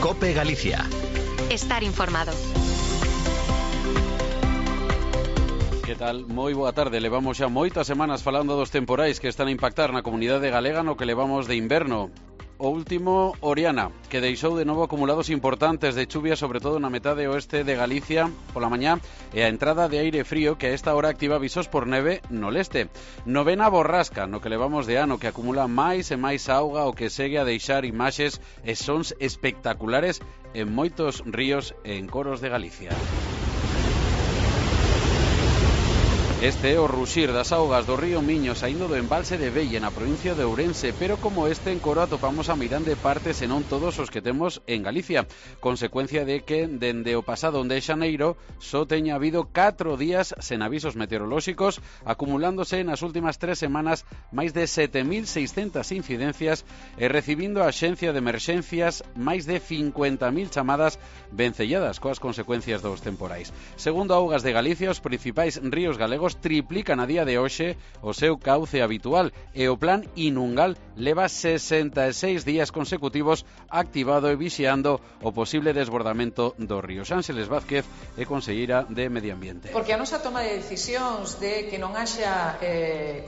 COPE Galicia. Estar informado. Que tal? Moi boa tarde. Levamos xa moitas semanas falando dos temporais que están a impactar na comunidade galega no que levamos de inverno. O último, Oriana, que deixou de novo acumulados importantes de chuvia, sobre todo na metade oeste de Galicia pola mañá, e a entrada de aire frío que a esta hora activa avisos por neve no leste. Novena borrasca, no que levamos de ano, que acumula máis e máis auga, o que segue a deixar imaxes e sons espectaculares en moitos ríos e en coros de Galicia. Este é o ruxir das augas do río Miño saindo do embalse de Velle na provincia de Ourense, pero como este en Coro atopamos a meirande parte senón todos os que temos en Galicia, consecuencia de que dende o pasado 1 de xaneiro só teña habido 4 días sen avisos meteorolóxicos, acumulándose nas últimas 3 semanas máis de 7.600 incidencias e recibindo a Axencia de Emerxencias máis de 50.000 chamadas vencelladas coas consecuencias dos temporais. Segundo Augas de Galicia, os principais ríos galegos triplican a día de hoxe o seu cauce habitual e o plan Inungal leva 66 días consecutivos activado e vixiando o posible desbordamento do río. Ángeles Vázquez é conselleira de Medio Ambiente. Porque a nosa toma de decisións de que non haxa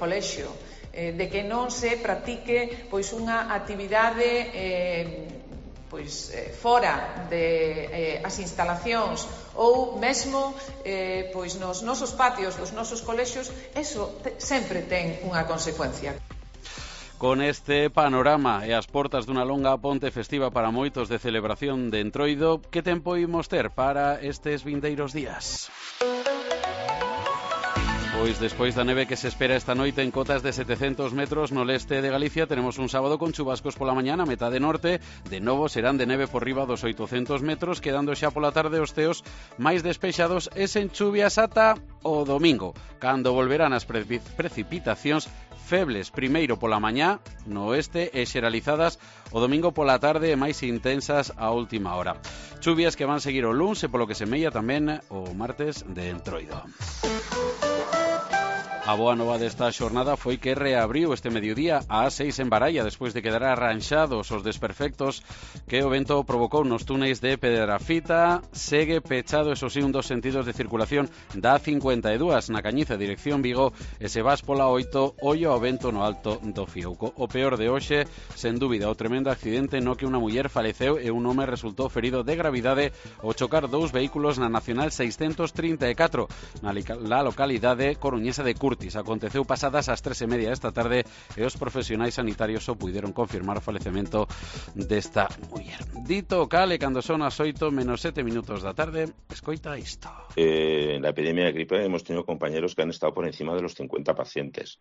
colexio, de que non se practique pois unha actividade fora de as instalacións ou mesmo pois nos nosos patios dos nosos colexios, eso sempre ten unha consecuencia. Con este panorama e as portas dunha longa ponte festiva para moitos de celebración de Entroido, que tempo imos ter para estes vindeiros días? Pois despois da neve que se espera esta noite en cotas de 700 metros no leste de Galicia, tenemos un sábado con chubascos pola mañá na metade norte, de novo serán de neve por riba dos 800 metros, quedando xa pola tarde os ceos máis despexados e sen chuvias ata o domingo, cando volverán as precipitacións febles primeiro pola mañá no oeste e xeralizadas o domingo pola tarde e máis intensas a última hora. Chuvias que van seguir o luns e polo que semella tamén o martes de Entroido. A boa nova desta xornada foi que reabriu este mediodía a A6 en Baralla despois de quedar arranxados os desperfectos que o vento provocou nos túneis de Pedrafita. Segue pechado, eso sí, un dos sentidos de circulación da A52 na Cañiza, dirección Vigo, e se vas pola 8, ollo ao vento no alto do Fiouco. O peor de hoxe, sen dúbida, o tremendo accidente no que unha muller faleceu e un home resultou ferido de gravidade ao chocar dous vehículos na Nacional 634 na localidade coruñesa de Curtis. Aconteceu pasadas as 3:30 esta tarde e os profesionais sanitarios só puideron confirmar o falecemento desta muller. Dito cale, cando son as 8 menos 7 minutos da tarde, escoita isto. En la epidemia de gripe hemos tenido compañeros que han estado por encima de los 50 pacientes.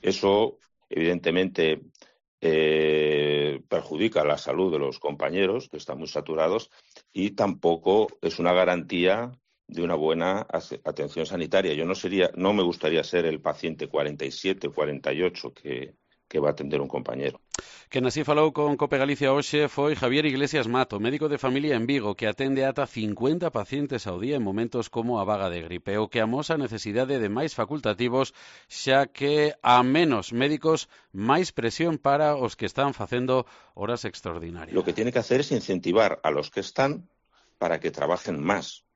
Eso, evidentemente, perjudica la salud de los compañeros, que están muy saturados, y tampoco es una garantía de una buena atención sanitaria. No me gustaría ser el paciente 47 o 48 que va a atender un compañero. Quen así falou con COPE Galicia hoxe foi Javier Iglesias Mato, médico de familia en Vigo, que atende ata 50 pacientes ao día en momentos como a vaga de gripe, o que amosa a necesidade de máis facultativos, xa que a menos médicos, máis presión para os que están facendo horas extraordinarias. Lo que tiene que hacer es incentivar a los que están para que trabajen más.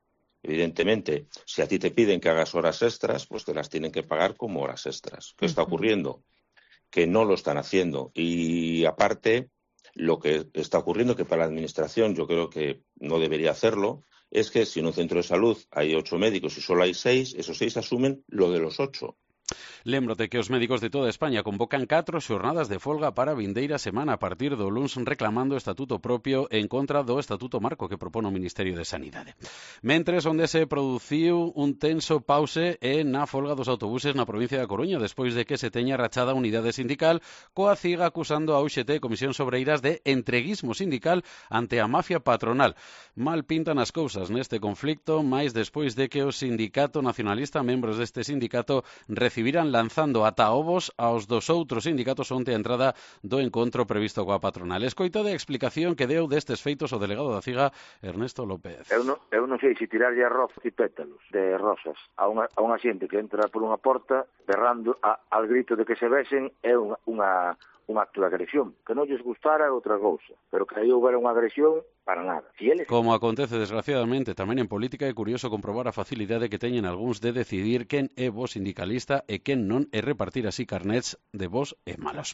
Evidentemente, si a ti te piden que hagas horas extras, pues te las tienen que pagar como horas extras. ¿Qué está ocurriendo? Que no lo están haciendo. Y aparte, lo que está ocurriendo, que para la administración yo creo que no debería hacerlo, es que si en un centro de salud hay 8 médicos y solo hay 6, esos 6 asumen lo de los 8. Lembrote que os médicos de toda España convocan 4 xornadas de folga para a vindeira semana a partir do luns, reclamando estatuto propio en contra do estatuto marco que propone o Ministerio de Sanidade. Mentres, onde se produciu un tenso pause é na folga dos autobuses na provincia da Coruña, despois de que se teña rachada a unidade sindical, coa CIG acusando a UGT, Comisión Sobreiras, de entreguismo sindical ante a mafia patronal. Mal pintan as cousas neste conflicto, máis despois de que o sindicato nacionalista, membros deste sindicato, recibiran lanzando ata ovos aos dos outros sindicatos onte a entrada do encontro previsto coa patronal. Escoitade a explicación que deu destes feitos o delegado da CIGA, Ernesto López. Eu non sei se tirarlle arroz e pétalos de rosas a unha xente que entra por unha porta berrando al grito de que se besen é unha un acto de agresión. Que non lles gustara é outra cousa, pero que aí houbera unha agresión, para nada. Como acontece desgraciadamente tamén en política, é curioso comprobar a facilidade que teñen algúns de decidir quen é bo sindicalista e quen non, e repartir así carnets de bos e malos.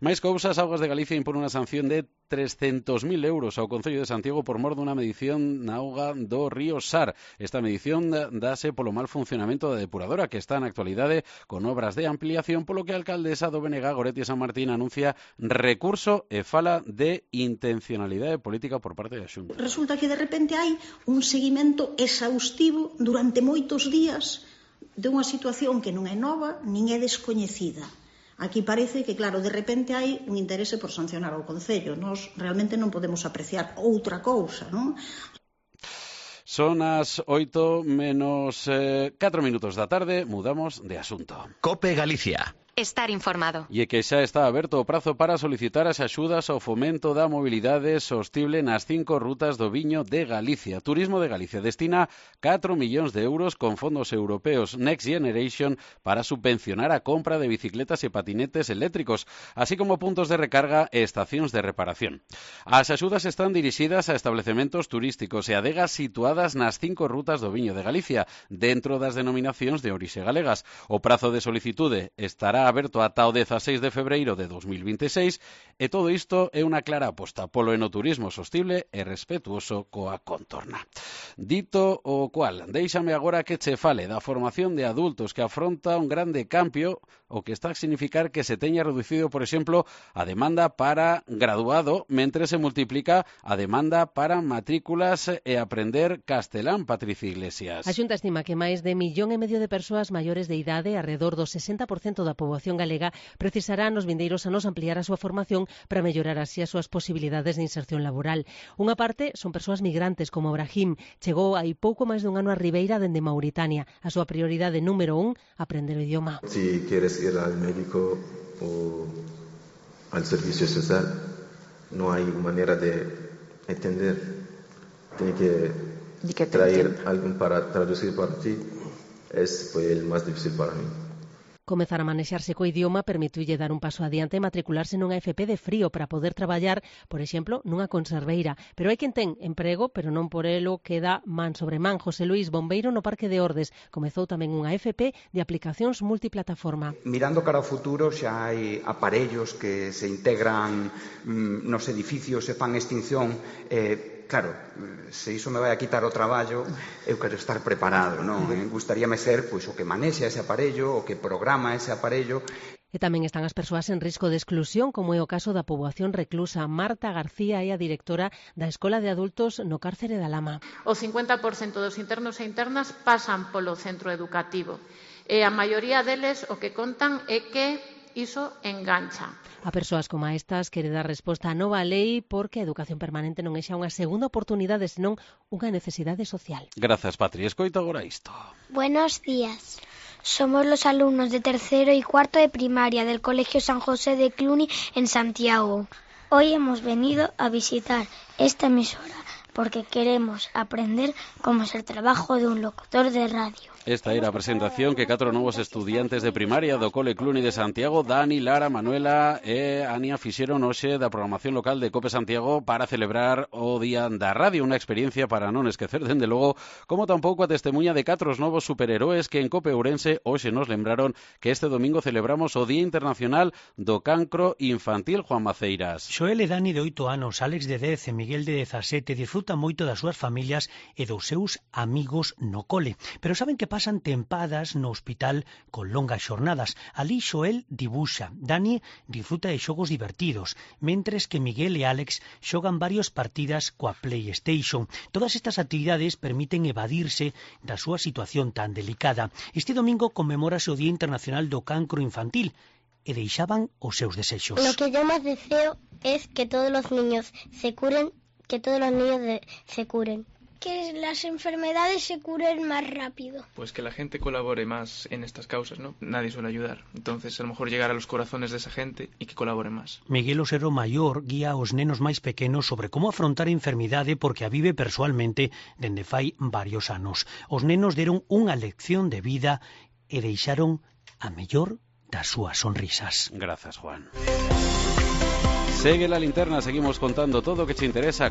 Máis cousas, Augas de Galicia impón unha sanción de 300.000 euros ao Concello de Santiago por mor dunha medición na auga do río Sar. Esta medición dáse polo mal funcionamento da depuradora, que está na actualidade con obras de ampliación, polo que a alcaldesa do BNG, Goretti San Martín, anuncia recurso e fala de intencionalidade política por parte da Xunta. Resulta que de repente hai un seguimento exhaustivo durante moitos días de unha situación que non é nova nin é descoñecida. Aquí parece que, claro, de repente hai un interese por sancionar ao Concello. Nós realmente non podemos apreciar outra cousa, non? Son as 8 menos 4 minutos da tarde, mudamos de asunto. COPE Galicia. Estar informado. E que xa está aberto o prazo para solicitar as axudas ao fomento da mobilidade sostible nas 5 rutas do viño de Galicia. Turismo de Galicia destina 4 millóns de euros con fondos europeos Next Generation para subvencionar a compra de bicicletas e patinetes eléctricos, así como puntos de recarga e estacións de reparación. As axudas están dirixidas a establecementos turísticos e adegas situadas nas 5 rutas do viño de Galicia, dentro das denominacións de orixe galegas. O prazo de solicitude estará aberto ata o 16 de febreiro de 2026 e todo isto é unha clara aposta polo enoturismo sostible e respetuoso coa contorna. Dito o cual, déixame agora que che fale da formación de adultos que afronta un grande cambio, o que está a significar que se teña reducido, por exemplo, a demanda para graduado, mentre se multiplica a demanda para matrículas e aprender castelán. Patricia Iglesias. A Xunta estima que máis de 1,5 millón de persoas maiores de idade, alrededor do 60% da poboación galega, precisará nos vindeiros anos ampliar a súa formación para mellorar así as súas posibilidades de inserción laboral. Unha parte son persoas migrantes, como Brahim. Chegou hai pouco máis dun ano a Ribeira dende Mauritania. A súa prioridade número 1, aprender o idioma. Si quieres ir al médico o al servicio social, no hay manera de entender. Tiene que traer alguien para traducir para ti. Fue el más difícil para mí. Comezar a manexarse co idioma permitiulle dar un paso adiante e matricularse nunha FP de frío para poder traballar, por exemplo, nunha conserveira. Pero hai quen ten emprego, pero non por elo queda man sobre man. José Luis, bombeiro no Parque de Ordes, comezou tamén unha FP de aplicacións multiplataforma. Mirando cara ao futuro, xa hai aparellos que se integran nos edificios e fan extinción. Claro, se iso me vai a quitar o traballo, eu quero estar preparado, non? Gustaríame ser pois o que manexa ese aparello, o que programa ese aparello. E tamén están as persoas en risco de exclusión, como é o caso da poboación reclusa. Marta García é a directora da Escola de Adultos no Cárcere da Lama. O 50% dos internos e internas pasan polo centro educativo. E a maioría deles o que contan é que iso engancha. A persoas como estas quere dar resposta á nova lei porque a educación permanente non é xa unha segunda oportunidade, senón unha necesidade social. Grazas, Patri. Escoita agora isto. Buenos días. Somos los alumnos de tercero y cuarto de primaria del Colegio San José de Cluny en Santiago. Hoy hemos venido a visitar esta emisora porque queremos aprender cómo es el trabajo de un locutor de radio. Esta era a presentación que 4 novos estudiantes de primaria do Cole Cluny de Santiago, Dani, Lara, Manuela e Ania, fixeron hoxe da programación local de COPE Santiago para celebrar o Día da Radio, unha experiencia para non esquecer, dende logo, como tampouco a testemunha de 4 novos superheróes que en COPE Ourense hoxe nos lembraron que este domingo celebramos o Día Internacional do Cancro Infantil. Juan Maceiras. Xoel e Dani de 8 anos, Alex de 10 e Miguel de 17 disfrutan moito das súas familias e dos seus amigos no cole, pero saben que pasan tempadas no hospital con longas xornadas. Ali Xoel dibuxa, Dani disfruta de xogos divertidos, mentres que Miguel e Alex xogan varias partidas coa PlayStation. Todas estas actividades permiten evadirse da súa situación tan delicada. Este domingo conmemórase o Día Internacional do Cancro Infantil e deixaban os seus desexos. Lo que yo más deseo es que todos los niños se curen, que todos los niños se curen. Que las enfermedades se curen más rápido. Pues que la gente colabore más en estas causas, ¿no? Nadie suele ayudar. Entonces, a lo mejor llegar a los corazones de esa gente y que colabore más. Miguel Osero Maior guía aos nenos máis pequenos sobre como afrontar a enfermidade porque a vive persoalmente dende fai varios anos. Os nenos deron unha lección de vida e deixaron a mellor das súas sonrisas. Gracias, Juan. Segue la linterna, seguimos contando todo o que te interesa.